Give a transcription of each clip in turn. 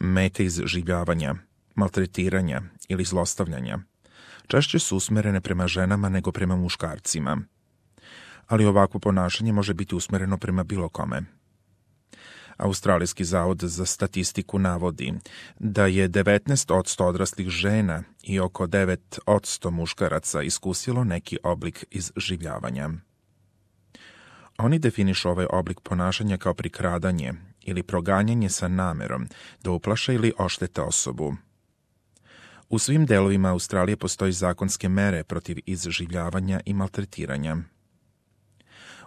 mete izživljavanja, maltretiranja ili zlostavljanja češće su usmerene prema ženama nego prema muškarcima. Ali ovakvo ponašanje može biti usmereno prema bilo kome. Australijski zavod za statistiku navodi da je 19% odraslih žena i oko 9% muškaraca iskusilo neki oblik izživljavanja. Oni definišu ovaj oblik ponašanja kao prikradanje ili proganjanje sa namerom da uplaše ili oštete osobu. U svim delovima Australije postoji zakonske mere protiv izživljavanja i maltretiranja.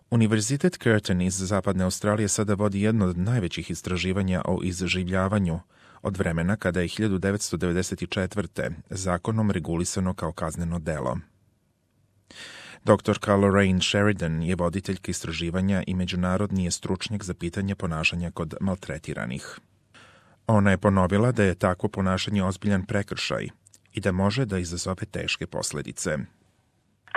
Univerzitet Curtin iz Zapadne Australije sada vodi jedno od najvećih istraživanja o izživljavanju od vremena kada je 1994. zakonom regulisano kao kazneno delo. Dr. Lorraine Sheridan je voditeljka istraživanja i međunarodni je stručnjak za pitanje ponašanja kod maltretiranih. Ona je ponovila da je takvo ponašanje ozbiljan prekršaj i da može da izazove teške posljedice.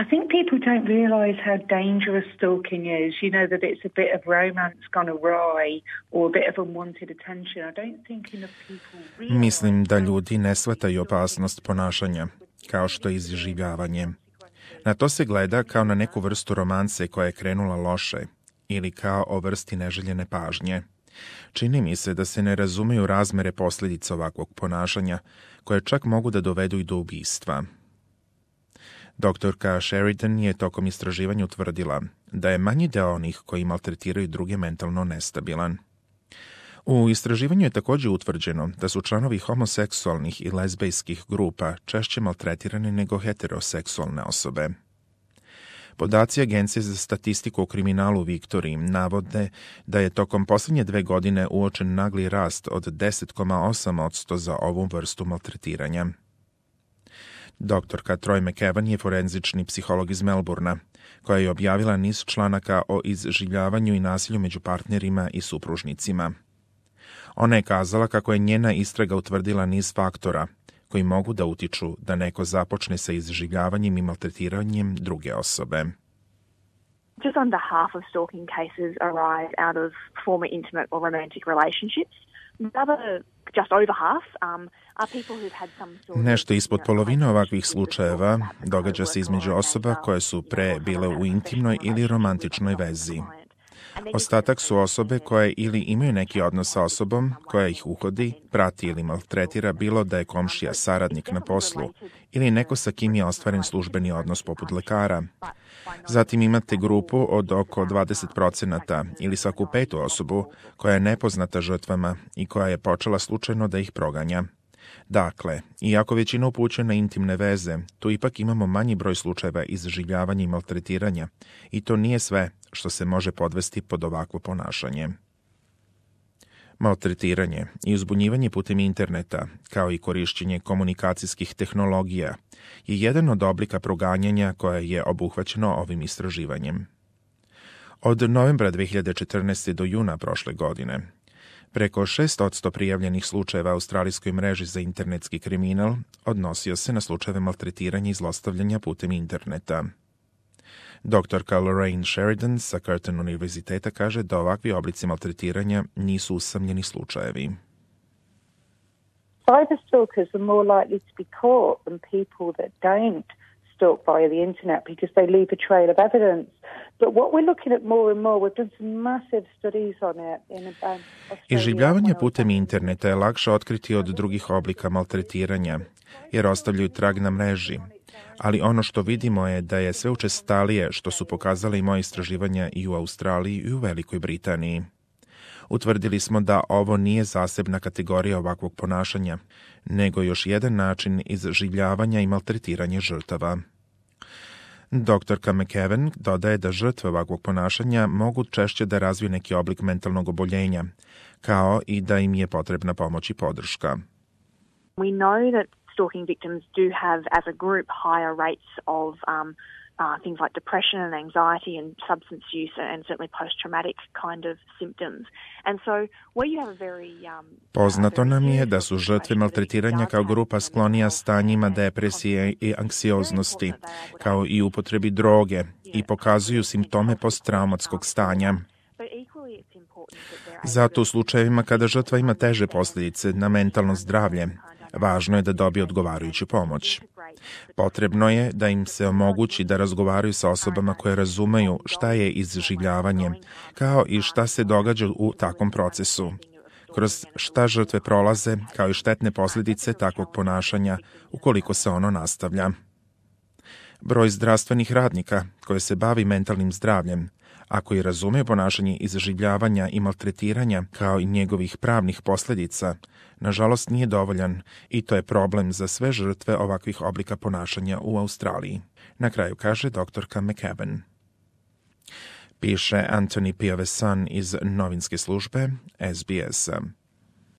I think people don't realize how dangerous stalking is. You know, that it's a bit of romance gone awry or a bit of unwanted attention. I don't think enough people realize. Mislim da ljudi ne shvataju opasnost ponašanja, kao što je izživljavanje. Na to se gleda kao na neku vrstu romanse koja je krenula loše ili kao o vrsti neželjene pažnje. Čini mi se da se ne razumeju razmere posljedica ovakvog ponašanja, koje čak mogu da dovedu i do ubistva. Doktorka Sheridan je tokom istraživanja utvrdila da je manji deo onih koji maltretiraju druge mentalno nestabilan. U istraživanju je također utvrđeno da su članovi homoseksualnih i lezbejskih grupa češće maltretirani nego heteroseksualne osobe. Podaci Agencije za statistiku o kriminalu u Viktoriji navode da je tokom posljednje 2 godine uočen nagli rast od 10,8% za ovu vrstu maltretiranja. Doktorka Troy McEwan je forenzični psiholog iz Melbourna, koja je objavila niz članaka o izživljavanju i nasilju među partnerima i supružnicima. Ona je kazala kako je njena istraga utvrdila niz faktora koji mogu da utiču da neko započne sa izživljavanjem i maltretiranjem druge osobe. Just under half of stalking cases arise out of former intimate or romantic relationships. The other, just over half, are people who've had some sort of... Nešto ispod polovine ovakvih slučajeva događa se između osoba koje su pre bile u intimnoj ili romantičnoj vezi. Ostatak su osobe koje ili imaju neki odnos sa osobom koja ih uhodi, prati ili maltretira, bilo da je komšija, saradnik na poslu ili neko sa kim je ostvaren službeni odnos poput lekara. Zatim imate grupu od oko 20% ili svaku 5. osobu koja je nepoznata žrtvama i koja je počela slučajno da ih proganja. Dakle, iako većina upućuje na intimne veze, tu ipak imamo manji broj slučajeva izživljavanja i maltretiranja i to nije sve što se može podvesti pod ovakvo ponašanje. Maltretiranje i uzbunjivanje putem interneta, kao i korišćenje komunikacijskih tehnologija, je jedan od oblika proganjanja koje je obuhvaćeno ovim istraživanjem. Od novembra 2014. do juna prošle godine, preko 6% prijavljenih slučajeva australijskoj mreži za internetski kriminal odnosio se na slučajeve maltretiranja i zlostavljanja putem interneta. Doktorka Lorraine Sheridan sa Curtin univerziteta kaže da ovakvi oblici maltretiranja nisu usamljeni slučajevi. Cyber stalkers are more likely to be caught than people that don't stalk via the internet because they leave a trail of evidence. But what we're looking at more and more, we've done some massive studies on it in about Australia. Izživljavanje putem interneta je lakše otkriti od drugih oblika maltretiranja, jer ostavljaju trag na mreži. Ali ono što vidimo je da je sve učestalije, što su pokazale i moje istraživanja i u Australiji i u Velikoj Britaniji. Utvrdili smo da ovo nije zasebna kategorija ovakvog ponašanja, nego još jedan način izživljavanja i maltretiranja žrtava. Doktorka McEwan dodaje da žrtve ovakvog ponašanja mogu češće da razviju neki oblik mentalnog oboljenja, kao i da im je potrebna pomoć i podrška. We know that stalking victims do have, as a group, higher rates of things like depression and anxiety and substance use and certainly post-traumatic kind of symptoms. And so where you have a very... Poznato nam je da su žrtve maltretiranja kao grupa sklonija stanjima depresije i anksioznosti, kao i upotrebi droge, i pokazuju simptome posttraumatskog stanja. Zato u slučajevima kada žrtva ima teže posljedice na mentalno zdravlje, važno je da dobije odgovarajuću pomoć. Potrebno je da im se omogući da razgovaraju sa osobama koje razumeju šta je iživljavanje, kao i šta se događa u takvom procesu, kroz šta žrtve prolaze, kao i štetne posljedice takvog ponašanja ukoliko se ono nastavlja. Broj zdravstvenih radnika koji se bavi mentalnim zdravljem, a koji razume ponašanje iživljavanja i maltretiranja kao i njegovih pravnih posljedica, nažalost nije dovoljan i to je problem za sve žrtve ovakvih oblika ponašanja u Australiji. Na kraju kaže doktorka McCaben. Piše Anthony Piavesan iz novinske službe SBS-a.